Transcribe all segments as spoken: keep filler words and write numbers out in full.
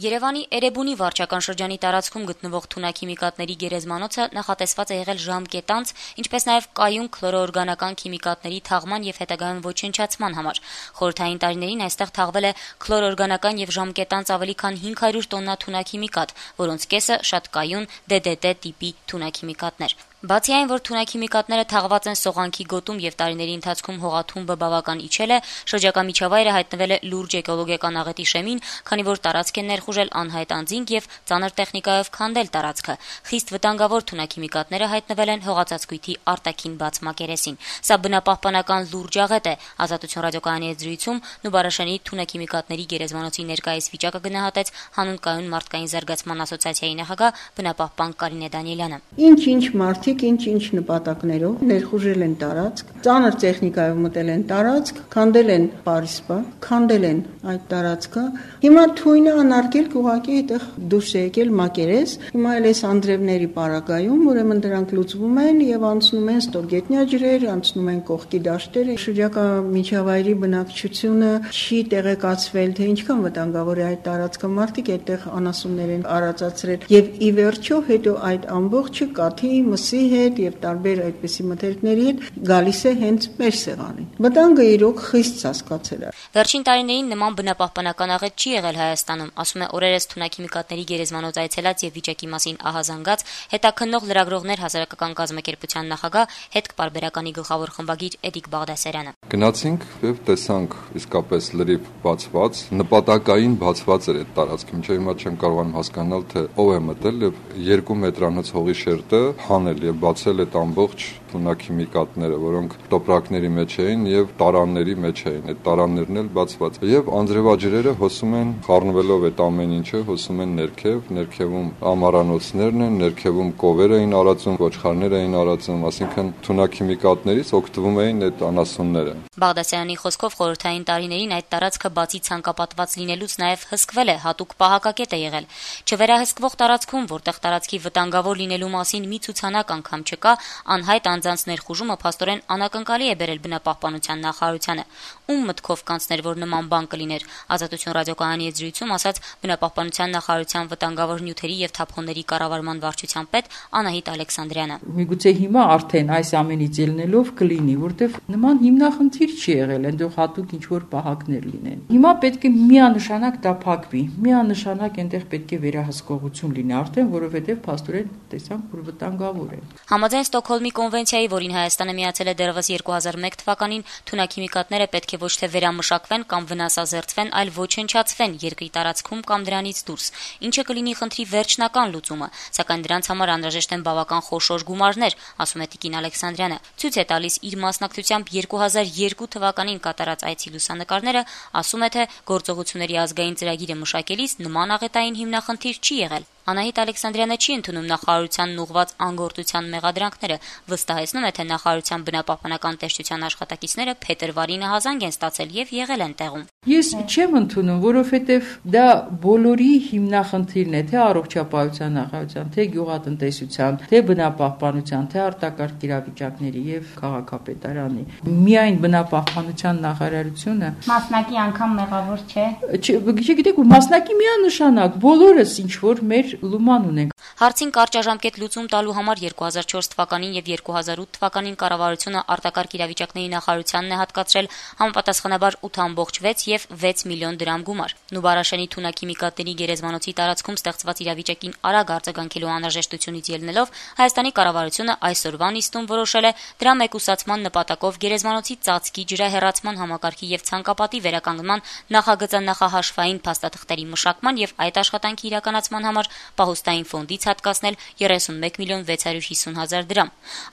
Երևանի Էրեբունի վարչական շրջանի տարածքում գտնվող թունաքիմիկատների գերեզմանոցը նախատեսված է եղել ժամկետանց, ինչպես նաև կայուն քլորոօրգանական քիմիկատների թաղման եւ հետագայում ոչնչացման համար։ Խորհրդային տարիներին այստեղ թաղվել է քլորոօրգանական եւ ժամկետանց ավելի քան հինգ հարյուր տոննա թունաքիմիկատ, որոնց կեսը շատ կայուն դե դե տե տիպի թունաքիմիկատներ։ Բացի այն, որ թունաքիմիկատները թաղված են Սողանքի գոտում եւ տարիների ընթացքում հողաթումբը բավական իջել է, շրջակա միջավայրը հայտնվել է լուրջ էկոլոգիական աղետի շեմին, քանի որ տարածք են ներխուժել անհայտ անձինք եւ ծանր տեխնիկայով քանդել տարածքը։ Խիստ վտանգավոր թունաքիմիկատները հայտնվել են հողածածկույթի արտաքին բաց մակերեսին։ Սա բնապահպանական լուրջ աղետ է։ Ազատություն ռադիոկայանի հետ զրույցում Նուբարաշենի թունաքիմիկատների գերեզմանոցի ներկայիս վիճակը գնահատեց հանուն կայուն մարդկային զարգացման ասոցիացիայի նախագահ բնապահպան Կարինե Դանիելյանը։ Ինչ-ինչ մարդիկ ինչ-ինչ նպատակներով ներխուժել են տարածք, ծանր տեխնիկայով մտել են տարածք, քանդել են պարիսպա, քանդել են այդ տարածքը։ Հիմա թույնը անարգել ուղղակի այդտեղ դուրս է եկել մակերես։ Հիմա էլ այս անդրևների պարագայում, ուրեմն դրանք լուծվում են եւ անցնում են ստորգետնյա ջրեր, անցնում են կողքի դաշտեր։ Շրջակա միջավայրի բնակչությունը չի տեղեկացվել, թե ինչքան վտանգավոր է այդ տարածքը։ Մարդիկ այդտեղ անասուններ են արածացրել եւ ի վերջո հետո այդ ամբողջը կաթի, մսի հետ եւ տարբեր այդպիսի մթերքների հետ գալիս է հենց մեր սեղանին։ Վտանգը իրոք խիստ հասկացել է։ Վերջին տարիներին նման բնապահպանական աղետ չի եղել Հայաստանում, ասում է օրերս թունաքիմիկատների գերեզմանոց այցելած եւ վիճակի մասին ահազանգած հետաքննող լրագրողներ հասարակական կազմակերպության նախագահ հետք-պարբերականի գլխավոր խմբագիր Էդիկ Բաղդասարյանը։ Գնացինք եւ տեսանք իսկապես լրիվ բացված, նպատակային բացված էր այդ տարածքը, մինչեւ հիմա չեմ կարողանում հասկանալ, թե ով է մտել եւ երկու մետրանոց հողի շերտը հանել եւ բացել այդ ամբողջ թունաքիմիկատները, որոնք տոպրակների մեջ էին եւ տարանների մեջ էին։ Այդ տարաններն էլ բացված։ Եվ անձրևաջրերը հոսում են, խառնվելով այդ ամեն ինչը, հոսում են ներքև, ներքևում ամառանոցներն են, ներքևում կովեր էին արածում, ոչխարներ էին արածում, ասինքն թունաքիմիկատներից օգտվում էին այդ անասունները։ Բաղդասարյանի խոսքով խորհրդային տարիներին այդ տարածքը բացի ցանկապատված լինելուց նաեւ հսկվել է, հատուկ պահակակետ է եղել։ Չվերահսկվող տարածքում, որտեղ տարածքի վտանգավոր լինելու մասին մի ցուցանակ անգամ չկա, անհայտ անձանց ներխուժումը փաստորեն անակնկալի է բերել բնապահպանության նախարարությանը։ Ում մտքով կանցներ, որ նման բան կլիներ, Ազատություն ռադիոկայանի հետ զրույցում ասաց բնապահպանության նախարարության վտանգավոր նյութերի եւ թափոնների կառավարման վարչության պետ Անահիտ Ալեքսանդրյանը։ Միգուցե հիմա արդեն այս ամենից ելնելով կլինի, որտեվ նման հիմնախնդիր չի եղել, այնտեղ հատուկ ինչ որ պահակներ լինեն։ Հիմա պետք է միանշանակ դա փակվի, միանշանակ այնտեղ պետք է վերահսկողություն լինի, արդեն որովհետեւ փաստորեն տեսանք, որ վտանգավոր է։ Համաձայն Ստոկհոլմի կոնվենցիայի, որին Հայաստանը միացել է դեռևս երկու հազար մեկ թվականին, թունաքիմիկատները պետք է ոչ թե վերամշակվեն կամ վնասազերծվեն, այլ ոչնչացվեն երկրի տարածքում կամ դրանից դուրս, ինչը կլինի խնդրի վերջնական լուծումը, սակայն դրանց համար անհրաժեշտ են բավական խոշոր գումարներ, ասում է Տիկին Ալեքսանդրյանը։ Ցույց է տալիս իր մասնակցությամբ երկու հազար երկու թվականին կատարած այցի լուսանկարները, ասում է, թե գործողությունների ազգային ծրագիրը մշակելիս նման աղետային հիմնախնդիր չի եղել։ Անահիտ Ալեքսանդրյանը չի ընդունում նախարարությանն ուղղված անգործության մեղադրանքները, վստահեցնում է, թե նախարարության բնապահպանական տեսչության աշխատակիցները փետրվարին ահազանգ են ստացել եւ եղել են տեղում։ Ես չեմ ընդունում, որովհետեւ դա բոլորի հիմնախնդիրն է, թե առողջապահության նախարարության, թե գյուղատնտեսության, թե բնապահպանության, թե արտակարգ իրավիճակների եւ քաղաքապետարանի։ Միայն բնապահպանության նախարարությունը մասնակի անգամ մեղավոր չէ։ Չգիտեք, մասնակի միանշանակ բոլորս ինչ որ մեր լուման ունենք։ Հարցին կարճաժամկետ լուծում տալու համար երկու հազար չորս թվականին եւ երկու հազար ութ թվականին կառավարությունը արտակարգ իրավիճակների նախարարությանն է հատկացրել համապատասխանաբար ութ ամբողջ վեց եւ վեց միլիոն դրամ գումար։ Նուբարաշենի թունաքիմիկատների գերեզմանոցի տարածքում ստեղծված իրավիճակին արագ արձագանքելու անհրաժեշտությունից ելնելով Հայաստանի կառավարությունը այսօրվա նիստում որոշել է դրա մեկուսացման նպատակով գերեզմանոցի ծածկի ջրահեռացման համակարգի եւ ցանկապատի վերականգնման նախագծանախահաշվային փաստաթղթերի մշակման եւ այդ աշխատանքի իրականացման համար պահուստային ֆոնդից հատկացնել երեսունմեկ միլիոն վեց հարյուր հիսուն հազար դրամ։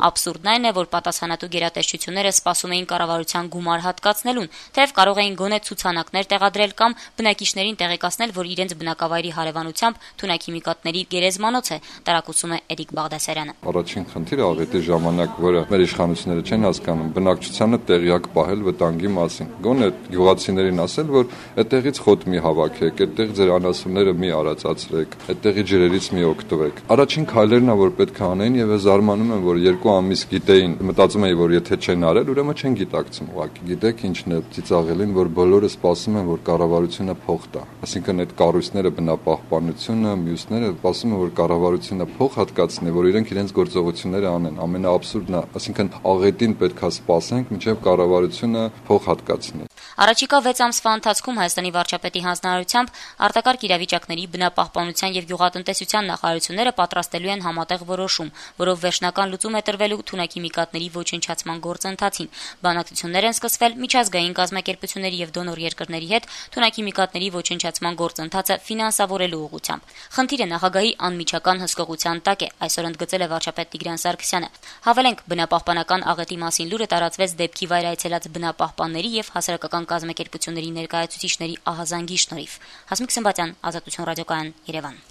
Աբսուրդն այն է, որ պատասխանատու գերատեսչությունները սպասում էին կառավարության գումար հատկացնելուն, թեև կարող էին գոնե ցուցանակներ տեղադրել կամ բնակիչներին տեղեկացնել, որ իրենց բնակավայրի հարևանությամբ թունաքիմիկատների գերեզմանոց է, տարակուսում է Էդիկ Բաղդասարյանը։ Առաջին խնդիրը աղետի ժամանակ, որը մեր իշխանությունները չեն հասկանում, բնակչությանը տեղյակ պահել վտանգի մասին։ Գոնե գյուղացիներին ասել, որ այդտեղից խոտ մի հավաքեք, այդտեղ ձեր անասունները մի արածացրեք, այդտեղ ցեղի ջրերից մի օգտվեք։ Առաջին քայլերն ա որ պետք է անեն եւ զարմանում եմ, որ երկու ամիս գիտեին, մտածում էի, որ եթե չեն արել, ուրեմն չեն գիտակցում ուղղակի։ Գիտեք ինչն է ծիծաղելին, որ բոլորը սպասում են, որ կառավարությունը փող տա։ Այսինքն այդ կառույցները բնապահպանությունը, մյուսները սպասում են, որ կառավարությունը փող հատկացնի, որ իրենք իրենց գործողությունները անեն։ Ամենաաբսուրդն է, այսինքն աղետին պետք է սպասենք, մինչև կառավարությունը փող հատկացնի։ Առաջիկա վեց ամսվա ընթացքում Հայաստանի վարչապետի հանձնարարությամբ արտակարգ իրավիճակների բնապահպանության եւ գյուղատնտեսության նախարարությունները պատրաստելու են համատեղ որոշում, որով վերջնական լուծում է տրվելու թունաքիմիկատների ոչնչացման գործընթացին։ Բանակցություններ են սկսվել միջազգային կազմակերպությունների եւ դոնոր երկրների հետ թունաքիմիկատների ոչնչացման գործընթացը ֆինանսավորելու ուղղությամբ։ Խնդիրը նախագահի անմիջական հսկողության տակ է, այսօր ընդգծել է վարչապետ Տիգրան Սարգսյանը։ Հավելենք, բնապահպանական աղետի մասին լուրը տարածվեց դեպքի վայր այցելած բնապահպանների եւ հասարակական կազմակերպությունների ներկայացուցիչների ահազանգի շնորհիվ։ Հասմիկ Սմբատյան, Ազատություն ռադիոկայան, Երևան։